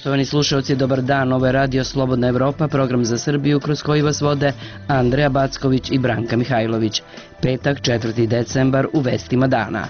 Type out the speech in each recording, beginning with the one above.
Poštovani slušalci, dobar dan. Ovo je Radio Slobodna Evropa, program za Srbiju kroz koji vas vode Andreja Backović i Branka Mihajlović. Petak, 4. decembar, u vestima dana.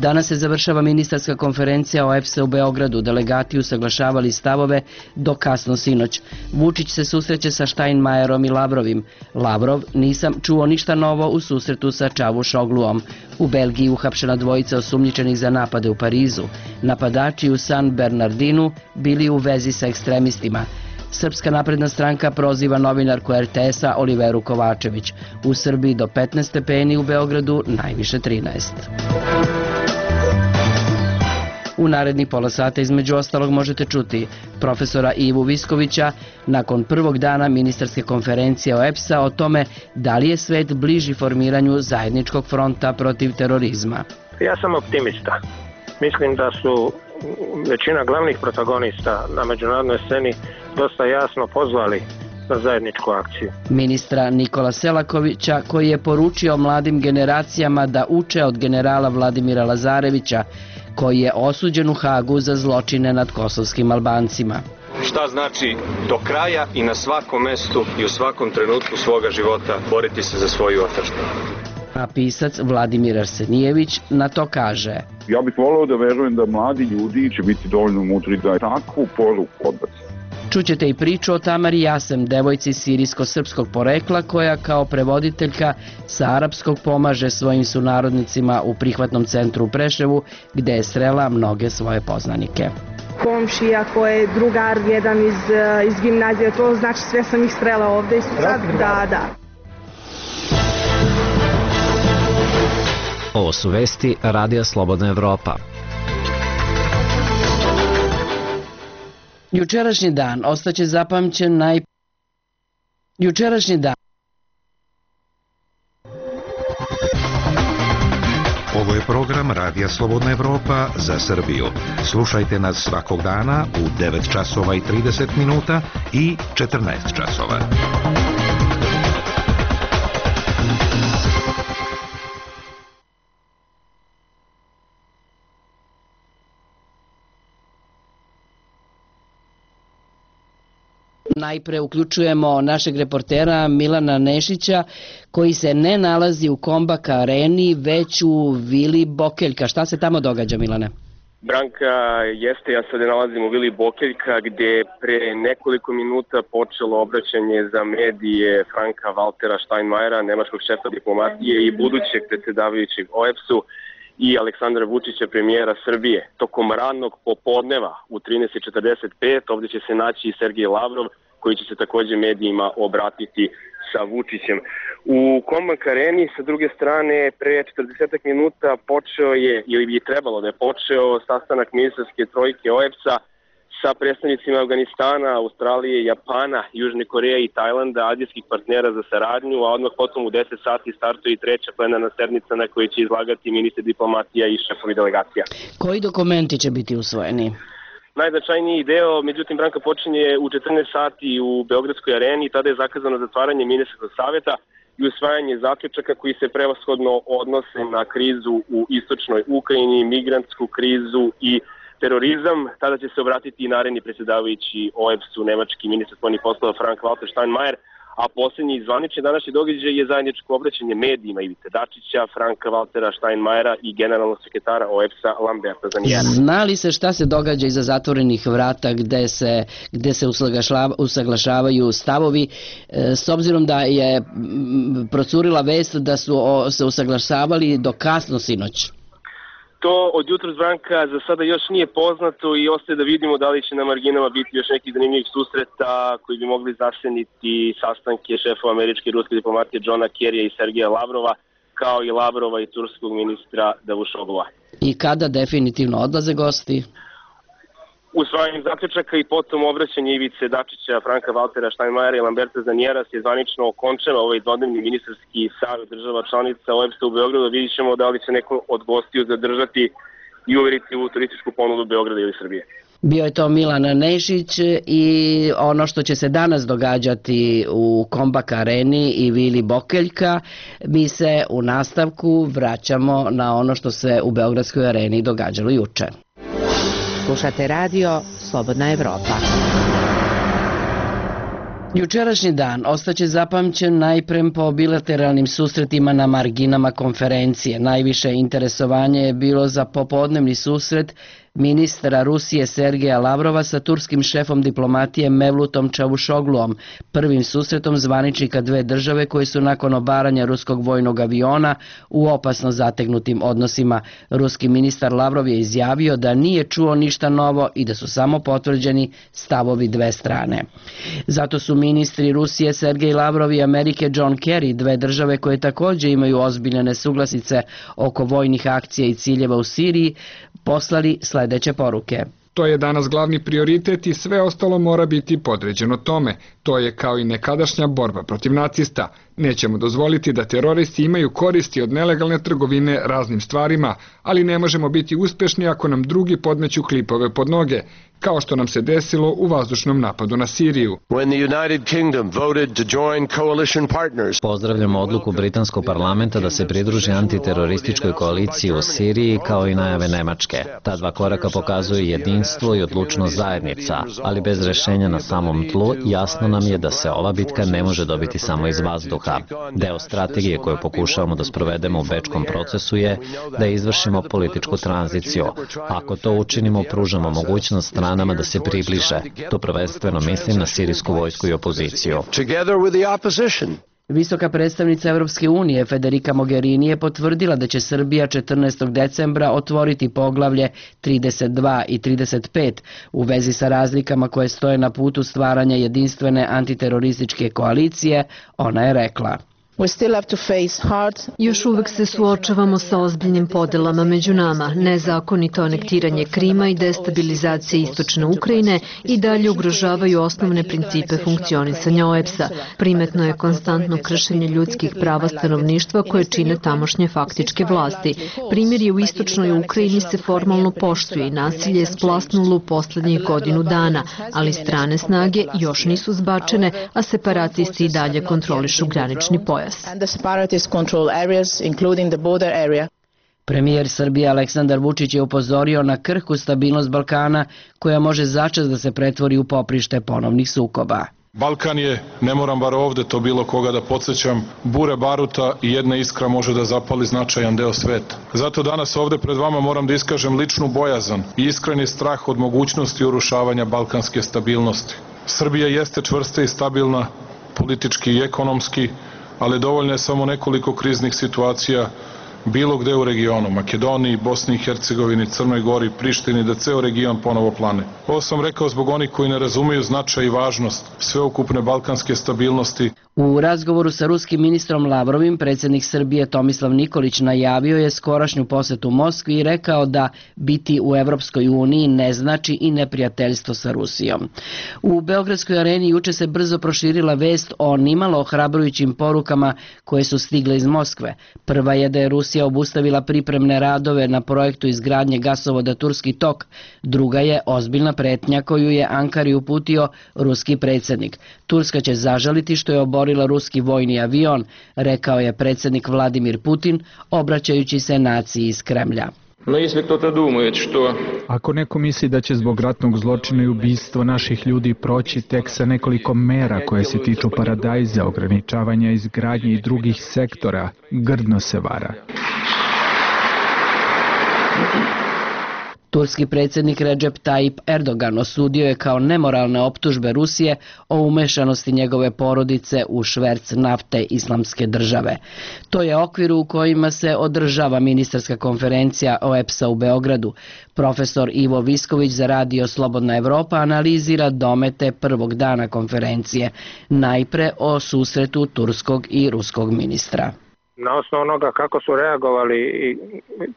Danas se završava ministarska konferencija OEBS-a u Beogradu. Delegati usaglašavali stavove do kasno sinoć. Vučić se susreće sa Steinmeierom i Lavrovim. Lavrov: nisam čuo ništa novo u susretu sa Čavuşogluom. U Belgiji uhapšena dvojica osumnjičenih za napade u Parizu. Napadači u San Bernardinu bili u vezi sa ekstremistima. Srpska napredna stranka proziva novinarku RTS-a Oliveru Kovačević. U Srbiji do 15 stepeni, u Beogradu najviše 13. U narednih pola sata između ostalog možete čuti profesora Ivu Viskovića nakon prvog dana ministarske konferencije OEBS-a o tome da li je svet bliži formiranju zajedničkog fronta protiv terorizma. Ja sam optimista. Mislim da su većina glavnih protagonista na međunarodnoj sceni dosta jasno pozvali na zajedničku akciju. Ministra Nikola Selakovića, koji je poručio mladim generacijama da uče od generala Vladimira Lazarevića, koji je osuđen u Hagu za zločine nad kosovskim Albancima. Šta znači do kraja i na svakom mestu i u svakom trenutku svoga života boriti se za svoju otadžbinu. A pisac Vladimir Arsenijević na to kaže: ja bih voleo da verujem da mladi ljudi će biti dovoljno mudri da takvu poruku odbace. Čućete i priču o Tamari Jasem, devojci sirijsko-srpskog porekla koja kao prevoditeljka sa arapskog pomaže svojim sunarodnicima u prihvatnom centru u Preševu, gde je srela mnoge svoje poznanike. Komšija koji je drugar jedan iz gimnazije, to znači sve sam ih srela ovde i sad, da. Ovo su vesti Radija Slobodna Evropa. Jučerašnji dan ostaće zapamćen Ovo je program Radija Slobodna Evropa za Srbiju. Slušajte nas svakog dana u 9 časova i 30 minuta i 14 časova. Najpre uključujemo našeg reportera Milana Nešića, koji se ne nalazi u Kombak areni, već u Vili Bokeljka. Šta se tamo događa, Milane? Branka, jeste, ja se nalazim u Vili Bokeljka, gde pre nekoliko minuta počelo obraćanje za medije Franka Valtera Steinmeiera, nemačkog šefa diplomatije i budućeg predsjedavajućeg OEBS-u, i Aleksandra Vučića, premijera Srbije. Tokom radnog popodneva u 13:45 ovdje će se naći i Sergej Lavrov, koji će se također medijima obratiti sa Vučićem. U Kombak areni, sa druge strane, pre 40 minuta počeo je, ili bi trebalo da je počeo, sastanak ministarske trojke OEBS-a sa predstavnicima Afganistana, Australije, Japana, Južne Koreje i Tajlanda, azijskih partnera za saradnju, a odmah potom u 10 sati startuje i treća plenarna sednica na kojoj će izlagati ministri diplomatija i šefovi delegacija. Koji dokumenti će biti usvojeni? Najznačajniji deo, međutim, Branka, počinje u 14 sati u Beogradskoj areni, tada je zakazano zatvaranje ministarskog saveta i usvajanje zaključaka koji se prevashodno odnose na krizu u istočnoj Ukrajini, migrantsku krizu i terorizam. Tada će se obratiti i naredni predsjedavajući OEBS-u, nemački ministar spoljnih poslova Frank Walter Steinmeier, a posljednji zvanični današnji događaj je zajedničko obraćanje medijima Ivice Dačića, Franka Valtera Steinmeiera i generalnog sekretara OEBS-a Lamberta Zanijera. Zna li se šta se događa iza zatvorenih vrata gde se usaglašavaju stavovi, s obzirom da je procurila vest da su se usaglašavali do kasno sinoć? To od jutros, Branka, za sada još nije poznato i ostaje da vidimo da li će na marginama biti još nekih zanimljivih susreta koji bi mogli zaseniti sastanke šefova američke i ruske diplomatije Johna Kerrya i Sergeja Lavrova, kao i Lavrova i turskog ministra Davušoglua. I kada definitivno odlaze gosti? Usvajanjem zaključaka i potom obraćanje Ivice Dačića, Franka Valtera Steinmeiera i Lamberta Zanijera se zvanično okončava ovaj dvodnevni ministarski savjet država članica OEBS-a u Beogradu. Vidjet ćemo da li će neko od gostiju zadržati i uveriti u turističku ponudu Beograda ili Srbije. Bio je to Milan Nešić i ono što će se danas događati u Kombak areni i Vili Bokeljka, mi se u nastavku vraćamo na ono što se u Beogradskoj areni događalo juče. Slušate radio Slobodna Evropa. Jučerašnji dan ostaće zapamćen najprem po bilateralnim susretima na marginama konferencije. Najviše interesovanje je bilo za popodnevni susret ministra Rusije Sergeja Lavrova sa turskim šefom diplomatije Mevlutom Čavuşogluom, prvim susretom zvaničnika dve države koji su nakon obaranja ruskog vojnog aviona u opasno zategnutim odnosima. Ruski ministar Lavrov je izjavio da nije čuo ništa novo i da su samo potvrđeni stavovi dve strane. Zato su ministri Rusije Sergej Lavrov i Amerike John Kerry, dve države koje također imaju ozbiljne nesuglasice oko vojnih akcija i ciljeva u Siriji, poslali sledeće poruke. To je danas glavni prioritet i sve ostalo mora biti podređeno tome. To je kao i nekadašnja borba protiv nacista. Nećemo dozvoliti da teroristi imaju koristi od nelegalne trgovine raznim stvarima, ali ne možemo biti uspešni ako nam drugi podmeću klipove pod noge, kao što nam se desilo u vazdušnom napadu na Siriju. Pozdravljamo odluku britanskog parlamenta da se pridruži antiterorističkoj koaliciji u Siriji kao i najave Nemačke. Ta dva koraka pokazuju jedinstvo i odlučnost zajednica, ali bez rešenja na samom tlu jasno nam je da se ova bitka ne može dobiti samo iz vazduha. Deo strategije koju pokušavamo da sprovedemo u bečkom procesu je da izvršimo političku tranziciju. Ako to učinimo, pružamo mogućnost stranama da se približe. To prvenstveno mislim na sirijsku vojsku i opoziciju. Visoka predstavnica Evropske unije Federica Mogherini je potvrdila da će Srbija 14. decembra otvoriti poglavlje 32 i 35 u vezi sa razlikama koje stoje na putu stvaranja jedinstvene antiterorističke koalicije. Ona je rekla: Još uvek se suočavamo sa ozbiljnim podelama među nama. Nezakonito anektiranje Krima i destabilizacija istočne Ukrajine i dalje ugrožavaju osnovne principe funkcionisanja OEBS-a. Primetno je konstantno kršenje ljudskih prava stanovništva koje čine tamošnje faktičke vlasti. Primjer u istočnoj Ukrajini se formalno poštuje i nasilje je splasnulo u poslednjih godinu dana, ali strane snage još nisu zbačene, a separatisti i dalje kontrolišu granični pojas. Premijer Srbije Aleksandar Vučić je upozorio na krhku stabilnost Balkana koja može začas da se pretvori u poprište ponovnih sukoba. Balkan je, ne moram bar ovde to bilo koga da podsjećam, bure baruta i jedna iskra može da zapali značajan deo sveta. Zato danas ovde pred vama moram da iskažem ličnu bojazan i iskreni strah od mogućnosti urušavanja balkanske stabilnosti. Srbija jeste čvrsta i stabilna, politički i ekonomski, ali dovoljno je samo nekoliko kriznih situacija bilo gde u regionu, Makedoniji, Bosni i Hercegovini, Crnoj Gori, Prištini, da ceo region ponovo plane. Ovo sam rekao zbog onih koji ne razumeju značaj i važnost sveukupne balkanske stabilnosti. U razgovoru sa ruskim ministrom Lavrovim, predsjednik Srbije Tomislav Nikolić najavio je skorašnju posetu Moskvi i rekao da biti u Evropskoj uniji ne znači i neprijateljstvo sa Rusijom. U Beogradskoj areni juče se brzo proširila vest o nimalo ohrabrujućim porukama koje su stigle iz Moskve. Prva je da je Rusija obustavila pripremne radove na projektu izgradnje gasovoda Turski tok. Druga je ozbiljna pretnja koju je Ankari uputio ruski predsjednik. Turska će zažaliti što je oborila ruski vojni avion, rekao je predsjednik Vladimir Putin, obraćajući se naciji iz Kremlja. Ako neko misli da će zbog ratnog zločina i ubistva naših ljudi proći tek sa nekoliko mera koje se tiču paradajza, ograničavanja izgradnje i drugih sektora, grdno se vara. Turski predsjednik Recep Tayyip Erdogan osudio je kao nemoralne optužbe Rusije o umešanosti njegove porodice u šverc nafte Islamske države. To je okvir u kojima se održava ministarska konferencija OEBS-a u Beogradu. Profesor Ivo Visković za radio Slobodna Evropa analizira domete prvog dana konferencije, najpre o susretu turskog i ruskog ministra. Na osnovu onoga kako su reagovali i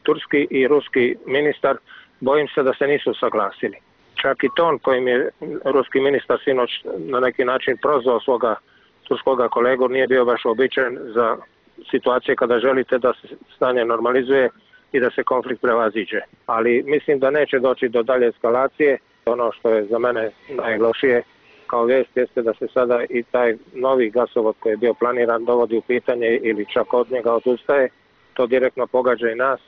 turski i ruski ministar, bojim se da se nisu saglasili. Čak i ton kojim je ruski ministar sinoć na neki način prozvao svoga turskoga kolegu nije bio baš uobičajen za situacije kada želite da se stanje normalizuje i da se konflikt prevaziđe. Ali mislim da neće doći do dalje eskalacije. Ono što je za mene najlošije kao vijest jeste da se sada i taj novi gasovod koji je bio planiran dovodi u pitanje ili čak od njega odustaje. To direktno pogađa i nas.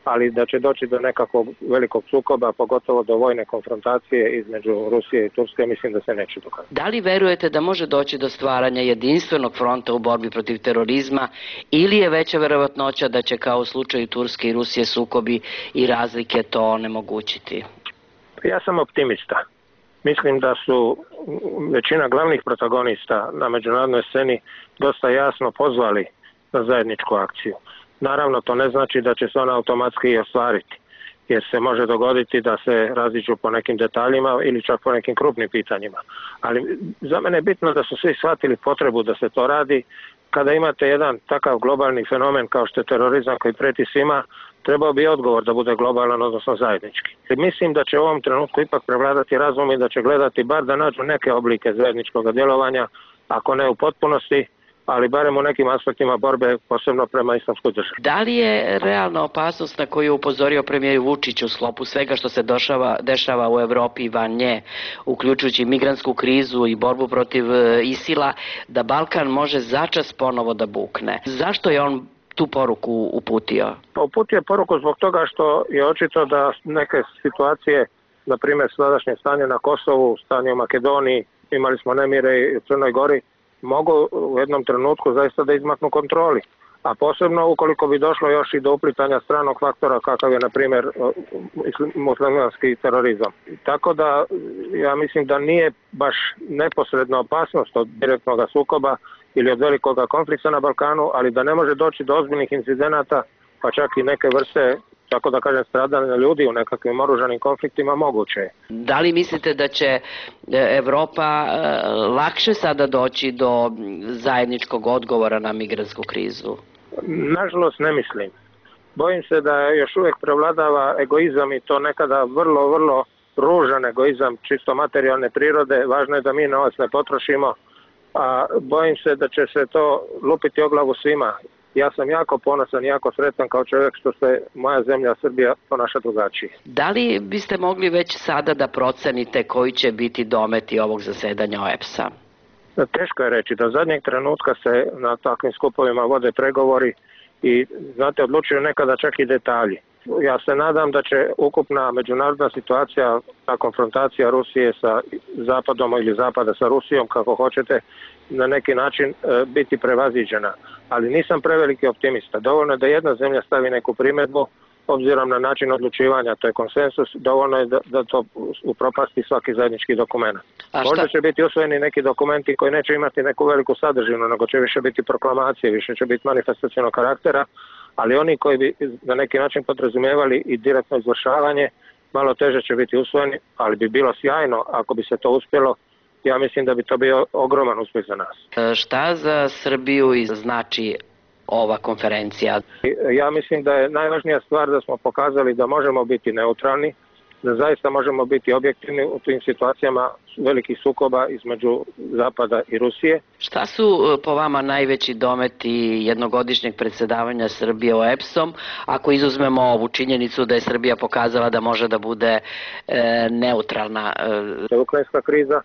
ali da će doći do nekakvog velikog sukoba, pogotovo do vojne konfrontacije između Rusije i Turske, mislim da se neće dokazati. Da li verujete da može doći do stvaranja jedinstvenog fronta u borbi protiv terorizma ili je veća verovatnoća da će kao u slučaju Turske i Rusije sukobi i razlike to onemogućiti? Ja sam optimista. Mislim da su većina glavnih protagonista na međunarodnoj sceni dosta jasno pozvali na zajedničku akciju. Naravno, to ne znači da će se ona automatski i ostvariti, jer se može dogoditi da se raziđu po nekim detaljima ili čak po nekim krupnim pitanjima. Ali za mene je bitno da su svi shvatili potrebu da se to radi. Kada imate jedan takav globalni fenomen kao što je terorizam koji preti svima, trebao bi odgovor da bude globalan, odnosno zajednički. Mislim da će u ovom trenutku ipak prevladati razum i da će gledati bar da nađu neke oblike zajedničkog djelovanja, ako ne u potpunosti, ali barem u nekim aspektima borbe, posebno prema islamskoj državi. Da li je realna opasnost na koju je upozorio premijer Vučić u sklopu svega što se dešava u Evropi i van nje, uključujući migrantsku krizu i borbu protiv ISIL-a, da Balkan može začas ponovo da bukne? Zašto je on tu poruku uputio? Uputio je poruku zbog toga što je očito da neke situacije, na primjer sadašnje stanje na Kosovu, stanje u Makedoniji, imali smo nemire i u Crnoj Gori, mogu u jednom trenutku zaista da izmaknu kontroli. A posebno ukoliko bi došlo još i do uplitanja stranog faktora kakav je, na primjer, muslimanski terorizam. Tako da ja mislim da nije baš neposredna opasnost od direktnog sukoba ili od velikog konflikta na Balkanu, ali da ne može doći do ozbiljnih incidenata, pa čak i neke vrste, tako da kažem, stradanja ljudi u nekakvim oružanim konfliktima moguće. Da li mislite da će Evropa lakše sada doći do zajedničkog odgovora na migrantsku krizu? Nažalost ne mislim. Bojim se da još uvijek prevladava egoizam i to nekada vrlo ružan egoizam, čisto materijalne prirode. Važno je da mi novac ne potrošimo, a bojim se da će se to lupiti o glavu svima. Ja sam jako ponosan, jako sretan kao čovjek što se moja zemlja Srbija ponaša drugačije. Da li biste mogli već sada da procenite koji će biti dometi ovog zasedanja OEBS-a? Teško je reći. Do zadnjeg trenutka se na takvim skupovima vode pregovori i, znate, odlučuju nekada čak i detalji. Ja se nadam da će ukupna međunarodna situacija, ta konfrontacija Rusije sa Zapadom ili Zapada sa Rusijom, kako hoćete, na neki način biti prevaziđena. Ali nisam preveliki optimista. Dovoljno je da jedna zemlja stavi neku primjedbu, obzirom na način odlučivanja, to je konsensus, dovoljno je da to upropasti svaki zajednički dokument. Možda će biti usvojeni neki dokumenti koji neće imati neku veliku sadržinu, nego će više biti proklamacije, više će biti manifestacionog karaktera, ali oni koji bi na neki način podrazumijevali i direktno izvršavanje, malo teže će biti usvojeni, ali bi bilo sjajno ako bi se to uspjelo. Ja mislim da bi to bio ogroman uspjeh za nas. Šta za Srbiju znači ova konferencija? Ja mislim da je najvažnija stvar da smo pokazali da možemo biti neutralni, da zaista možemo biti objektivni u tim situacijama velikih sukoba između Zapada i Rusije. Šta su po vama najveći dometi jednogodišnjeg predsjedavanja Srbije OEBS-om, ako izuzmemo ovu činjenicu da je Srbija pokazala da može da bude neutralna? Ukrajinska kriza,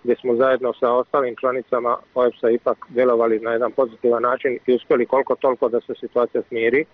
gdje smo zajedno sa ostalim članicama OEBS-a ipak djelovali na jedan pozitivan način i uspjeli koliko toliko da se situacija smiri.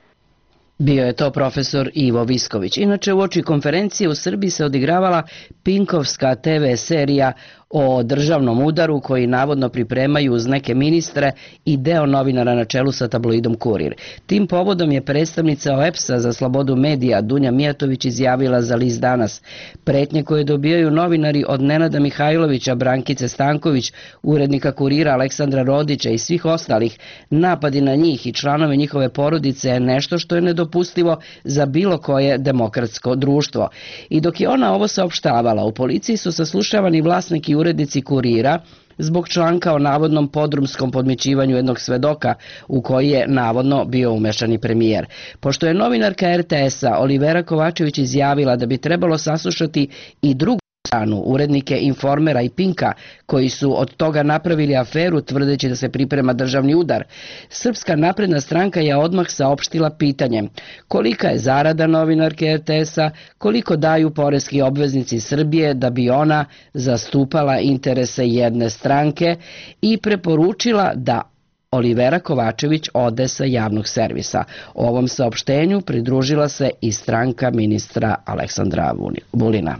Bio je to profesor Ivo Visković. Inače, uoči konferencije u Srbiji se odigravala Pinkovska TV serija o državnom udaru koji navodno pripremaju uz neke ministre i deo novinara na čelu sa tabloidom Kurir. Tim povodom je predstavnica OEBS-a za slobodu medija Dunja Mijatović izjavila za list Danas: pretnje koje dobijaju novinari od Nenada Mihajlovića, Brankice Stanković, urednika Kurira Aleksandra Rodića i svih ostalih, napadi na njih i članove njihove porodice je nešto što je nedopustivo za bilo koje demokratsko društvo. I dok je ona ovo saopštavala, u policiji su saslušavani vlasnik i urednici Kurira zbog članka o navodnom podrumskom podmićivanju jednog svedoka u koji je navodno bio umešan i premijer. Pošto je novinarka RTS-a Olivera Kovačević izjavila da bi trebalo saslušati i drugu stranu, urednike Informera i Pinka, koji su od toga napravili aferu tvrdeći da se priprema državni udar, Srpska napredna stranka je odmah saopštila pitanje: kolika je zarada novinarke RTS-a, koliko daju poreski obveznici Srbije da bi ona zastupala interese jedne stranke, i preporučila da Olivera Kovačević ode sa javnog servisa. Ovom saopštenju pridružila se i stranka ministra Aleksandra Vulina.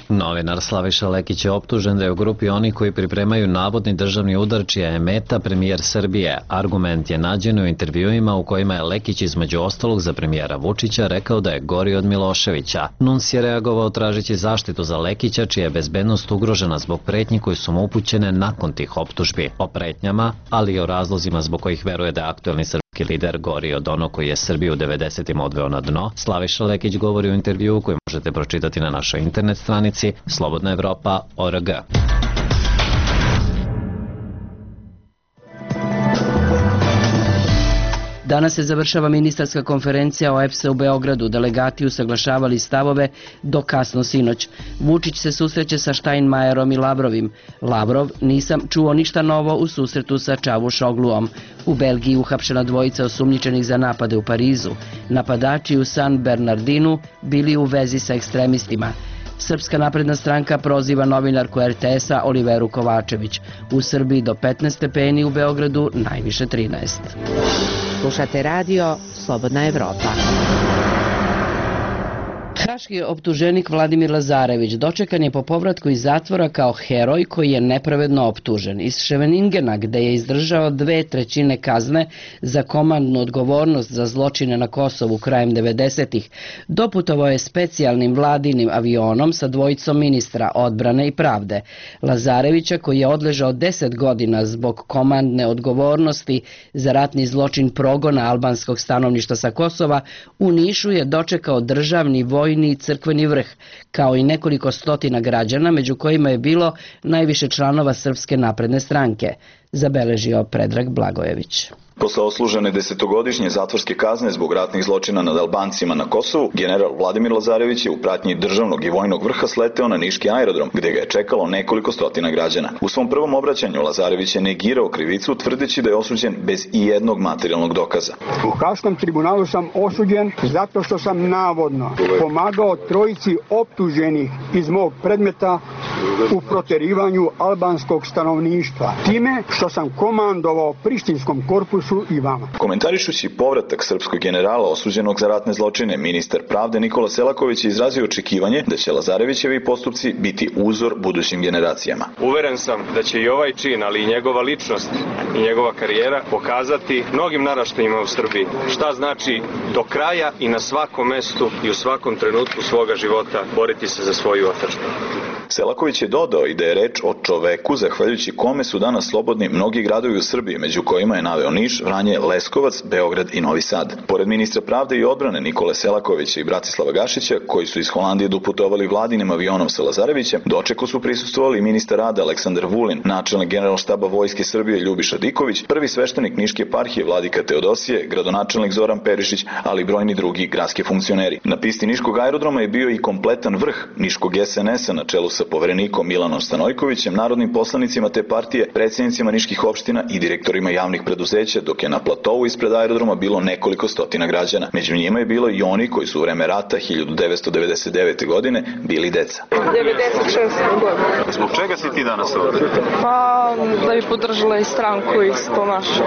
Novinar Slaviša Lekić je optužen da je u grupi onih koji pripremaju navodni državni udar čija je meta premijer Srbije. Argument je nađen u intervjuima u kojima je Lekić između ostalog za premijera Vučića rekao da je gori od Miloševića. NUNS je reagovao tražeći zaštitu za Lekića čija je bezbednost ugrožena zbog pretnji koje su mu upućene nakon tih optužbi. O pretnjama, ali i o razlozima zbog kojih veruje da je aktuelni srpski lider gori od onog koji je Srbiju u 90-im odveo na dno, Slaviša Lekić govori u intervjuu koji možete pročitati na našoj internet stranici slobodnaevropa.org. Danas se završava ministarska konferencija OEBS-a u Beogradu. Delegati usaglašavali stavove do kasno sinoć. Vučić se susreće sa Steinmeierom i Lavrovim. Lavrov: nisam čuo ništa novo u susretu sa Čavuşogluom. U Belgiji uhapšena dvojica osumnjičenih za napade u Parizu. Napadači u San Bernardinu bili u vezi sa ekstremistima. Srpska napredna stranka proziva novinarku RTS-a Oliveru Kovačević. U Srbiji do 15 stepeni, u Beogradu najviše 13. Slušate radio Slobodna Evropa. Haški optuženik Vladimir Lazarević dočekan je po povratku iz zatvora kao heroj koji je nepravedno optužen. Iz Ševeningena, gde je izdržao 2/3 kazne za komandnu odgovornost za zločine na Kosovu krajem 90-ih, doputovao je specijalnim vladinim avionom sa dvojicom ministra odbrane i pravde. Lazarevića, koji je odležao 10 godina zbog komandne odgovornosti za ratni zločin progona albanskog stanovništva sa Kosova, u Nišu je dočekao državni vojni i crkveni vrh, kao i nekoliko stotina građana, među kojima je bilo najviše članova Srpske napredne stranke, zabeležio Predrag Blagojević. Posle oslužene 10-godišnje zatvorske kazne zbog ratnih zločina nad Albancima na Kosovu, general Vladimir Lazarević je u pratnji državnog i vojnog vrha sleteo na niški aerodrom, gde ga je čekalo nekoliko stotina građana. U svom prvom obraćanju Lazarević je negirao krivicu, tvrdeći da je osuđen bez ijednog materijalnog dokaza. U Haškom tribunalu sam osuđen zato što sam navodno pomagao trojici optuženih iz mog predmeta u proterivanju albanskog stanovništva, time što sam komandovao prištinskom korpusu i vama. Komentarišući povratak srpskog generala osuđenog za ratne zločine, ministar pravde Nikola Selaković je izrazio očekivanje da će Lazarevićevi postupci biti uzor budućim generacijama. Uveren sam da će i ovaj čin, ali i njegova ličnost i njegova karijera pokazati mnogim naraštajima u Srbiji šta znači do kraja i na svakom mestu i u svakom trenutku svoga života boriti se za svoju otadžbinu. Selaković je dodao i da je reč o čoveku zahvaljujući kome su danas slobodni mnogi gradovi u Srbiji, među kojima je naveo Niš, Vranje, Leskovac, Beograd i Novi Sad. Pored ministra pravde i odbrane Nikole Selakovića i Bratislava Gašića, koji su iz Holandije doputovali vladinim avionom sa Lazarevićem, dočeku su prisustvovali ministar rada Aleksandar Vulin, načelnik Generalštaba Vojske Srbije Ljubiša Diković, prvi sveštenik Niške eparhije Vladika Teodosije, gradonačelnik Zoran Perišić, ali i brojni drugi gradski funkcioneri. Na pisti niškog aerodroma je bio i kompletan vrh niškog SNS-a na čelu sa poverenikom Milanom Stanojkovićem, narodnim poslanicima te partije, predsjednicima niških opština i direktorima javnih preduzeća, dok je na platovu ispred aerodroma bilo nekoliko stotina građana. Među njima je bilo i oni koji su u vreme rata 1999. godine bili deca. 96. godine. Zbog čega si ti danas ovdje? Pa da bi podržala i stranku isto našu.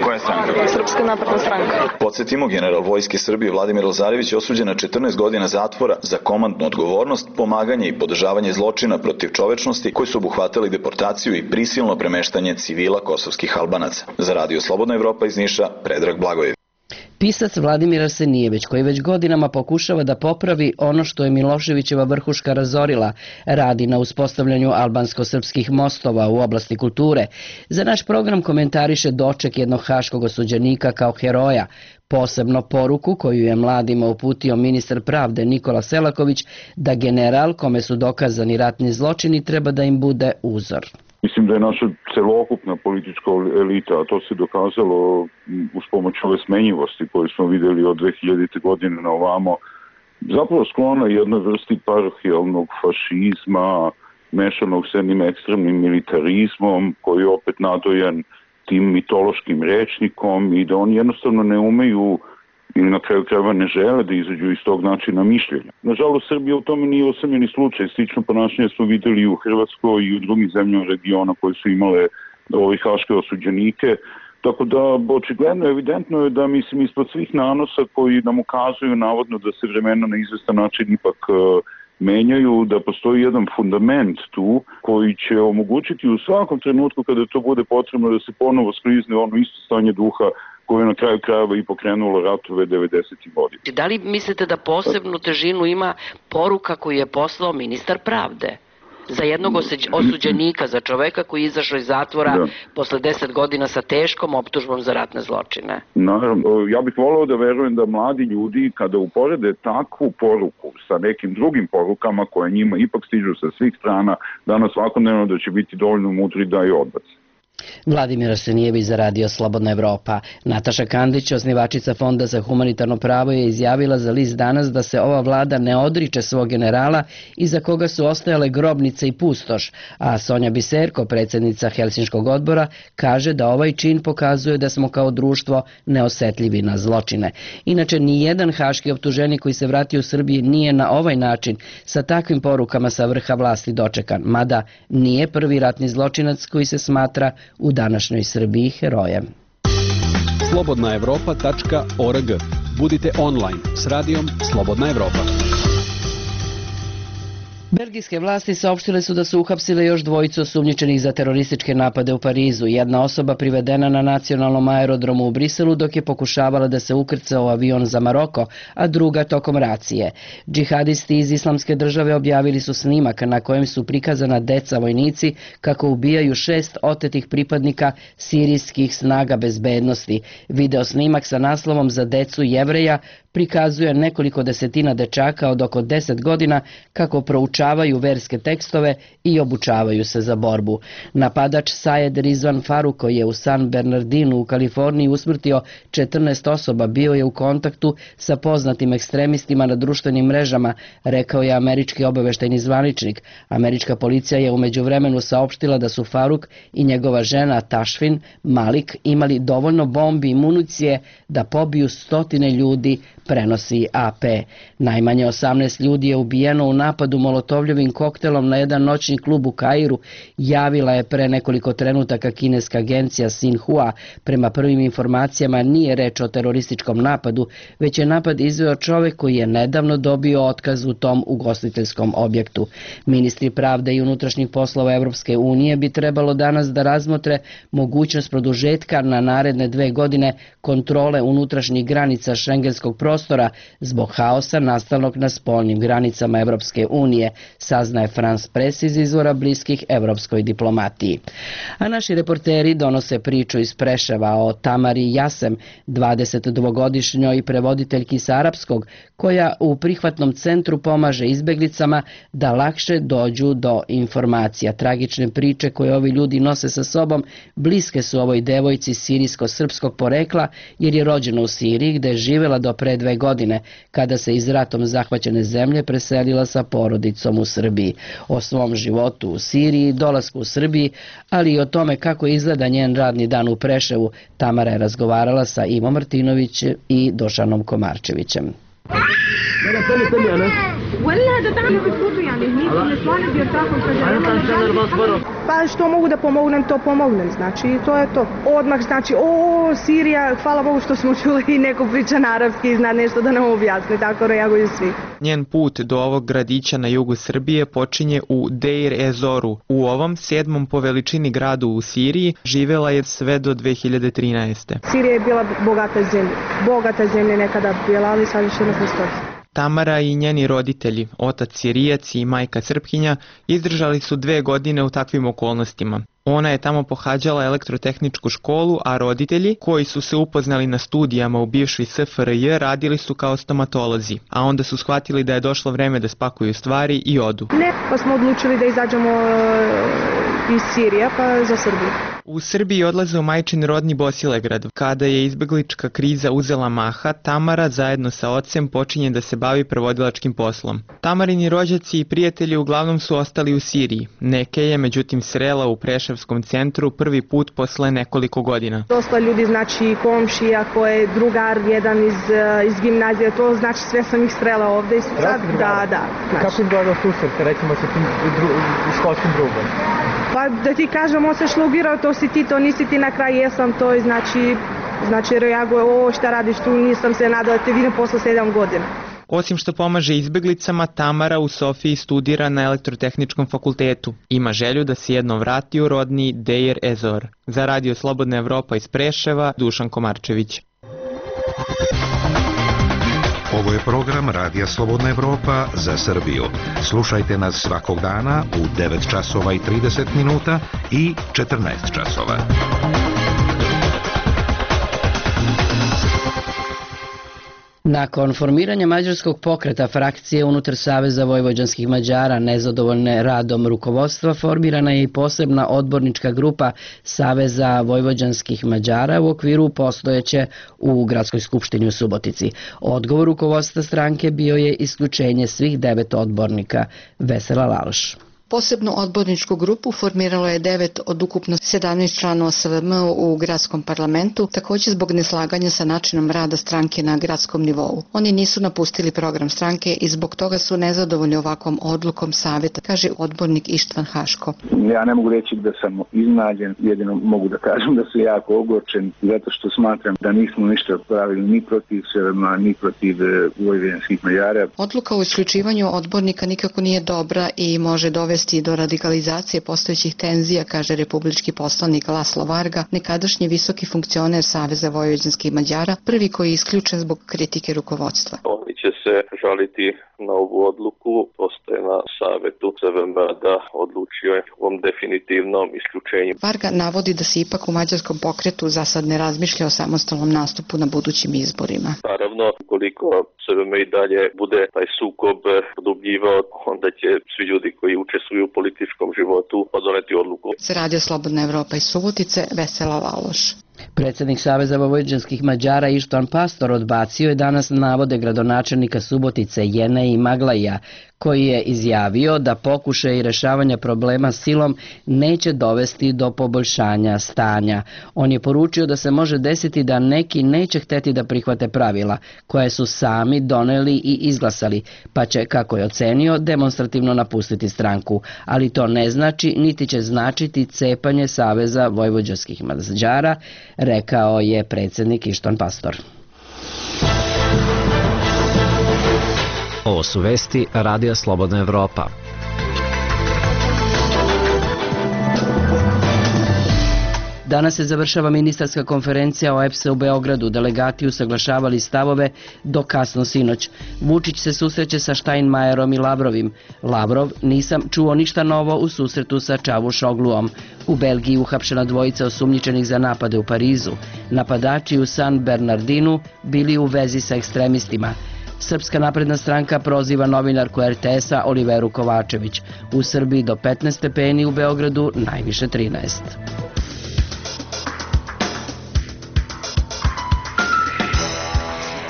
Koja je stranka? Srpska napredna stranka. Podsjetimo, general Vojske Srbije Vladimir Lazarević je osuđen na 14 godina zatvora za komandnu odgovornost, pomaganje i podržavanje zločina protiv čovečnosti koji su obuhvatali deportaciju i prisilno premeštanje civila kosovskih Albanaca. Za Radio Slobodna Evropa iz Niša, Predrag Blagojević. Pisac Vladimir Arsenijević, koji već godinama pokušava da popravi ono što je Miloševićeva vrhuška razorila, radi na uspostavljanju albansko-srpskih mostova u oblasti kulture. Za naš program komentariše doček jednog haškog osuđenika kao heroja, posebno poruku koju je mladima uputio ministar pravde Nikola Selaković da general kome su dokazani ratni zločini treba da im bude uzor. Mislim da je naša celokupna politička elita, a to se dokazalo uz pomoć ove smenjivosti koje smo vidjeli od 2000. godine na ovamo, zapravo sklona jednoj vrsti parohijalnog fašizma, mešanog s jednim ekstremnim militarizmom, koji je opet nadojan tim mitološkim rečnikom i da oni jednostavno ne umeju ili na kraju krajeva ne žele da izađu iz tog načina mišljenja. Nažalost, Srbija u tome nije osamljeni slučaj. Slično ponašanje smo videli i u Hrvatskoj i u drugim zemljama regiona koje su imale haške osuđenike. Tako da, očigledno, evidentno je da, mislim, ispod svih nanosa koji nam ukazuju navodno da se vremena na izvestan način ipak menjaju, da postoji jedan fundament tu koji će omogućiti u svakom trenutku kada to bude potrebno da se ponovo sklizne ono isto stanje duha koje je na kraju krajeva i pokrenulo ratove 90. godina. Da li mislite da posebnu težinu ima poruka koju je poslao ministar pravde? Za jednog osuđenika, za čoveka koji je izašao iz zatvora posle 10 godina sa teškom optužbom za ratne zločine. Naravno, ja bih voleo da verujem da mladi ljudi kada uporede takvu poruku sa nekim drugim porukama koje njima ipak stižu sa svih strana, danas svakodnevno da će biti dovoljno mudri da je odbace. Vladimir Arsenijević za Radio Slobodna Evropa. Nataša Kandić, osnivačica Fonda za humanitarno pravo, je izjavila za list Danas da se ova vlada ne odriče svog generala iza koga su ostajale grobnice i pustoš, a Sonja Biserko, predsjednica Helsinškog odbora, kaže da ovaj čin pokazuje da smo kao društvo neosetljivi na zločine. Inače, nijedan haški optuženik koji se vratio u Srbiji nije na ovaj način sa takvim porukama sa vrha vlasti dočekan, mada nije prvi ratni zločinac koji se smatra u današnjoj Srbiji herojem. slobodnaevropa.org. Budite online s radijom Slobodna Evropa. Belgijske vlasti saopštile su da su uhapsile još dvojicu osumnjičenih za terorističke napade u Parizu. Jedna osoba privedena na nacionalnom aerodromu u Briselu dok je pokušavala da se ukrca u avion za Maroko, a druga tokom racije. Džihadisti iz Islamske države objavili su snimak na kojem su prikazana deca vojnici kako ubijaju 6 otetih pripadnika sirijskih snaga bezbednosti. Video snimak sa naslovom Za decu Jevreja prikazuje nekoliko desetina dečaka od oko 10 godina kako proučavaju verske tekstove i obučavaju se za borbu. Napadač Sayed Rizvan Faruk, koji je u San Bernardinu u Kaliforniji usmrtio 14 osoba, bio je u kontaktu sa poznatim ekstremistima na društvenim mrežama, rekao je američki obaveštajni zvaničnik. Američka policija je u međuvremenu saopštila da su Faruk i njegova žena Tashfin Malik imali dovoljno bombi i municije da pobiju stotine ljudi, prenosi AP. Najmanje 18 ljudi je ubijeno u napadu molotovljevim koktelom na jedan noćni klub u Kairu, javila je pre nekoliko trenutaka kineska agencija Xinhua. Prema prvim informacijama nije reč o terorističkom napadu, već je napad izveo čovek koji je nedavno dobio otkaz u tom ugostiteljskom objektu. Ministri pravde i unutrašnjih poslova Evropske unije bi trebalo danas da razmotre mogućnost produžetka na naredne 2 godine kontrole unutrašnjih granica šengenskog prostora zbog haosa nastalog na spoljnim granicama Evropske unije, saznaje France Press iz izvora bliskih evropskoj diplomatiji. A naši reporteri donose priču iz Preševa o Tamari Jasem, 22-godišnjoj prevoditeljki sa arapskog, koja u prihvatnom centru pomaže izbeglicama da lakše dođu do informacija. Tragične priče koje ovi ljudi nose sa sobom bliske su ovoj devojci sirijsko-srpskog porekla, jer je rođena u Siriji gde je živela do pre 2 godine, kada se iz ratom zahvaćene zemlje preselila sa porodicom u Srbiji. O svom životu u Siriji, dolasku u Srbiji, ali i o tome kako izgleda njen radni dan u Preševu, Tamara je razgovarala sa Ivo Martinović i Došanom Komarčevićem. Pa što mogu da pomognem, to pomognem, znači to je to. Odmah znači, Sirija, hvala Bogu što smo čuli i neko priča na arapski i zna nešto da nam objasni, tako reaguju svi. Njen put do ovog gradića na jugu Srbije počinje u Deir Ezoru. U ovom 7. po veličini gradu u Siriji živela je sve do 2013. Sirija je bila bogata zemlja nekada bila, ali sad više ne postoji. Tamara i njeni roditelji, otac Sirijac i majka Srpkinja, izdržali su 2 godine u takvim okolnostima. Ona je tamo pohađala elektrotehničku školu, a roditelji, koji su se upoznali na studijama u bivšoj SFRJ, radili su kao stomatolozi, a onda su shvatili da je došlo vreme da spakuju stvari i odu. Ne, pa smo odlučili da izađemo iz Sirije, pa za Srbiju. U Srbiji odlaze u majčin rodni Bosilegrad. Kada je izbeglička kriza uzela maha, Tamara zajedno sa ocem počinje da se bavi prevodilačkim poslom. Tamarini rođaci i prijatelji uglavnom su ostali u Siriji. Neke je međutim srela u Preševskom centru prvi put posle nekoliko godina. Dosta ljudi, znači komšija, koje je drugar jedan iz gimnazije, to znači sve sam ih srela ovde. Da. Znači. Kako izgleda susret, recimo sa tim školskim drugom? Pa da ti kažem, on se šlogirao, to si ti, to nisi ti, na kraju jesam, to je znači reaguje, šta radiš tu, nisam se nadala da te vidim posle 7 godina. Osim što pomaže izbeglicama, Tamara u Sofiji studira na elektrotehničkom fakultetu. Ima želju da se jednom vrati u rodni Deir Ezor. Za Radio Slobodna Evropa iz Preševa, Dušan Komarčević. Ovo je program Radija Slobodna Evropa za Srbiju. Slušajte nas svakog dana u 9 časova i 30 minuta i 14 časova. Nakon formiranja mađarskog pokreta frakcije unutar Saveza vojvođanskih Mađara nezadovoljne radom rukovodstva, formirana je i posebna odbornička grupa Saveza vojvođanskih Mađara u okviru postojeće u Gradskoj skupštini u Subotici. Odgovor rukovodstva stranke bio je isključenje svih 9 odbornika. Vesela Laloš. Posebnu odborničku grupu formiralo je 9 od ukupno 17 članova SVM u gradskom parlamentu, također zbog neslaganja sa načinom rada stranke na gradskom nivou. Oni nisu napustili program stranke i zbog toga su nezadovoljni ovakvom odlukom savjeta, kaže odbornik Ištvan Haško. Ja ne mogu reći da sam iznenađen, jedino mogu da kažem da sam jako ogorčen zato što smatram da nismo ništa pravili ni protiv SVM, ni protiv vojvođanskih Mađara. Odluka o isključivanju odbornika nikako nije dobra i može dovesti do radikalizacije postojećih tenzija, kaže republički poslanik Laslo Varga, nekadašnji visoki funkcioner Saveza vojvođanskih Mađara, prvi koji je isključen zbog kritike rukovodstva. Oni će se žaliti na ovu odluku, postoje na savetu SVM da odlučio je o definitivnom isključenju. Varga navodi da se ipak u mađarskom pokretu za sad ne razmišlja o samostalnom nastupu na budućim izborima. Naravno, koliko SVM i dalje bude taj sukob produbljivao, onda će svi ljudi koji učestvuju u političkom životu doneti odluku. Za Radio Slobodna Evropa iz Subotice, Vesela Laloš. Predsjednik Saveza vojvođanskih Mađara Ištvan Pastor odbacio je danas navode gradonačelnika Subotice Jeneji Maglaja, koji je izjavio da pokušaj rešavanja problema silom neće dovesti do poboljšanja stanja. On je poručio da se može desiti da neki neće hteti da prihvate pravila koje su sami doneli i izglasali, pa će, kako je ocenio, demonstrativno napustiti stranku. Ali to ne znači, niti će značiti cepanje Saveza vojvođanskih Mađara, rekao je predsjednik Ištvan Pastor. Ovo su vesti Radija Slobodna Evropa. Danas se završava ministarska konferencija o EPS u Beogradu. Delegati usaglašavali stavove do kasno sinoć. Vučić se susreće sa Steinmeierom i Lavrovim. Lavrov: nisam čuo ništa novo u susretu sa Čavuşogluom. U Belgiji uhapšena dvojica osumnjičenih za napade u Parizu. Napadači u San Bernardinu bili u vezi sa ekstremistima. Srpska napredna stranka proziva novinarku RTS-a Oliveru Kovačević. U Srbiji do 15 stepeni, u Beogradu najviše 13.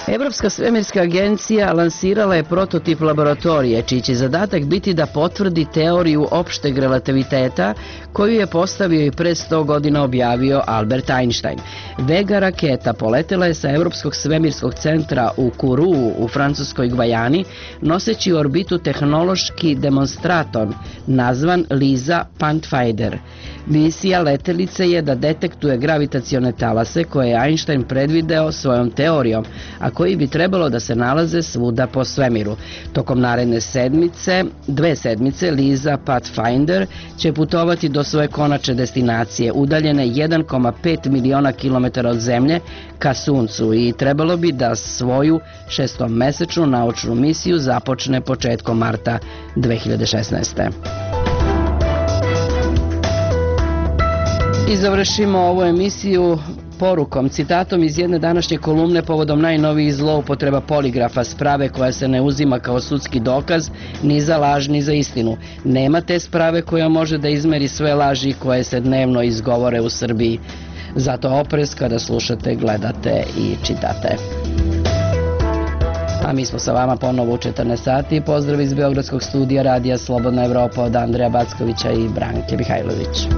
Evropska svemirska agencija lansirala je prototip laboratorije, čiji će zadatak biti da potvrdi teoriju opšteg relativiteta koju je postavio i pre 100 godina objavio Albert Einstein. Vega raketa poletela je sa Evropskog svemirskog centra u Kourou u francuskoj Gvajani, noseći u orbitu tehnološki demonstraton nazvan LISA Pathfinder. Misija letelice je da detektuje gravitacione talase koje je Einstein predvideo svojom teorijom, a koji bi trebalo da se nalaze svuda po svemiru. Tokom naredne dve sedmice, LISA Pathfinder će putovati do svoje konačne destinacije, udaljene 1,5 miliona kilometara od Zemlje, ka Suncu, i trebalo bi da svoju 6-mesečnu naučnu misiju započne početkom marta 2016. I završimo ovu emisiju porukom, citatom iz jedne današnje kolumne povodom najnovijih zloupotreba poligrafa, sprave koja se ne uzima kao sudski dokaz ni za laž ni za istinu. Nema te sprave koja može da izmeri sve laži koje se dnevno izgovore u Srbiji. Zato oprez kada slušate, gledate i čitate. A mi smo sa vama ponovo u 14 sati. Pozdrav iz Beogradskog studija Radija Slobodna Evropa od Andreja Backovića i Branke Mihajlović.